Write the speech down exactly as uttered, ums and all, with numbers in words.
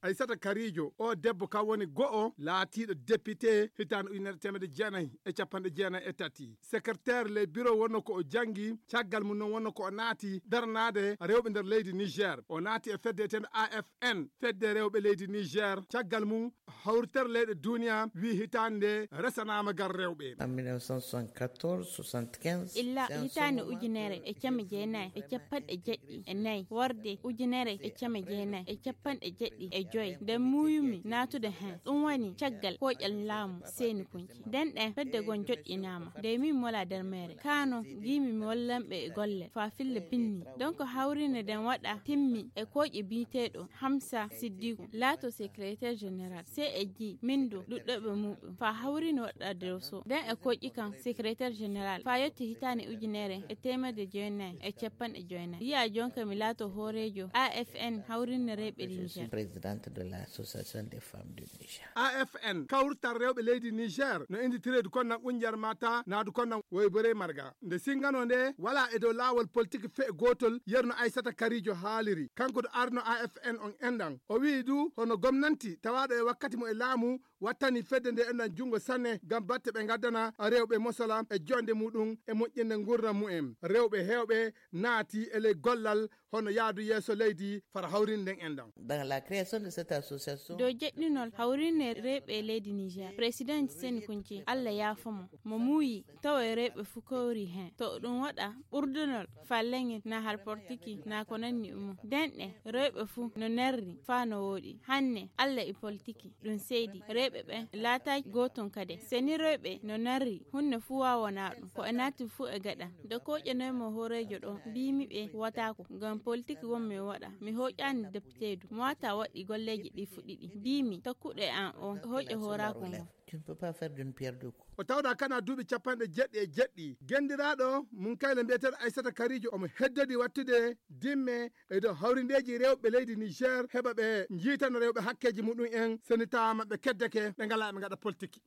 Aysata Karijo, o debbo kam woni go'o laatiiɗo député hitaande ujunere teemedde jeenayi e capanɗe jeenayi e tati. Secrétaire les bureaux wonno ko o janngi, caggal mum noon wonno ko o naati daranaade rewɓe nder leydi Niger. O naati e fedde etende A F N, fedde rewɓe leydi Niger. Caggal mum, hawritere leyɗe duniya wi hitaande nde resanaama ngal rewɓe. En mille neuf cent soixante-quatorze, soixante-quinze, illa hitaande ujunere e came jeenayi e capanɗe jeɗɗi e nayi, worde ujunere e came jeenayi e capanɗe jeɗɗi e joyi, nde muuyumi naatude heen. Ɗum woni caggal koƴal laamu Seyni Kunci. Nden ɗen fedde gon joɗɗinaama. Nde min mola nder meere. Kano, ngiimi mi wallanɓe e golle faa fille binni. Donc hawrinde nden waɗa timmi e koƴe biyeteeɗo Hamsa Siddiku, laato secrétaire général. C E G, min du, ɗuɗɗoɓe muɗum. Faa hawrinde waɗa doso. Nden e koƴi kan secrétaire général. Faa yetti hitaande ujunere e teemedde jeenayi e capanɗe jeenayi. Yiya jonka mi laato hooreejo A F N hawrinde rewɓe Niger. Présidente de l'association des femmes du Niger. A F N, kawrital rewɓe leydi Niger, no indi tireedu kon nan Gunjar Mata, naadu kon nan Woybore Marga. Nde singano nde, wala e dow laawol politique fe'e gootol, yerno Aysata Karijo haaliri. Kanko do arno A F N on enɗan. O wi'i du, hono gomnanti, tawaaɗo e wakkati mo e laamu, wattani fedde nde enɗan junngo sanne, ngam batte ɓe ngaddana rewɓe mosola e jonde muɗum e moƴƴinde ngurndan mu'en. Rewɓe heewɓe naati e ley gollal hono yaadu yeeso leydi fara hawrinde nden enɗan. Dans la création de cette association. Dow jeɗɗinol hawrinde rewɓe leydi Niger, Président Seyni Kunci, Allah yaafo mo, mo muuyi tawa e rewɓe fuu kawri heen. To ɗum waɗa ɓurdunol faa leŋel naa har portiki naa ko nanni e mum. Nden ɗe rewɓe fuu no nerri faa no wooɗi. Hanne Allah e politiki ɗum seydi. Rewɓe ɓen laataaki gootum kade. Seni rewɓe no narri, hunde fuu waawanaa ɗum. Ko e naati fuu e gaɗa. Nde kooƴanoy mo hooreejo ɗo, mbiimi ɓe wataako, ngam politik wonmi e waɗa. Mi hooƴaani depiteedu. Mo wata waɗi golleeji ɗi fuu ɗiɗi. Mbiimi, takkuɗo e an o, hooƴe hooraaku ngon. Tu ne peux pas faire d'une pierre deux coups. O tawda kana duuɓi capanɗe jeɗɗi e jeɗɗi. Gendiraaɗo mum kayla mbiyeteeɗo Aysata Karijo omo heddodi wattude dimme e dow hawrindeeji rewɓe leydi Niger, heɓa ɓe njiitana rewɓe hakkeeji muɗum en, seni tawa maɓɓe keddeke, ɓe ngalaa ɓe ngaɗa politiki.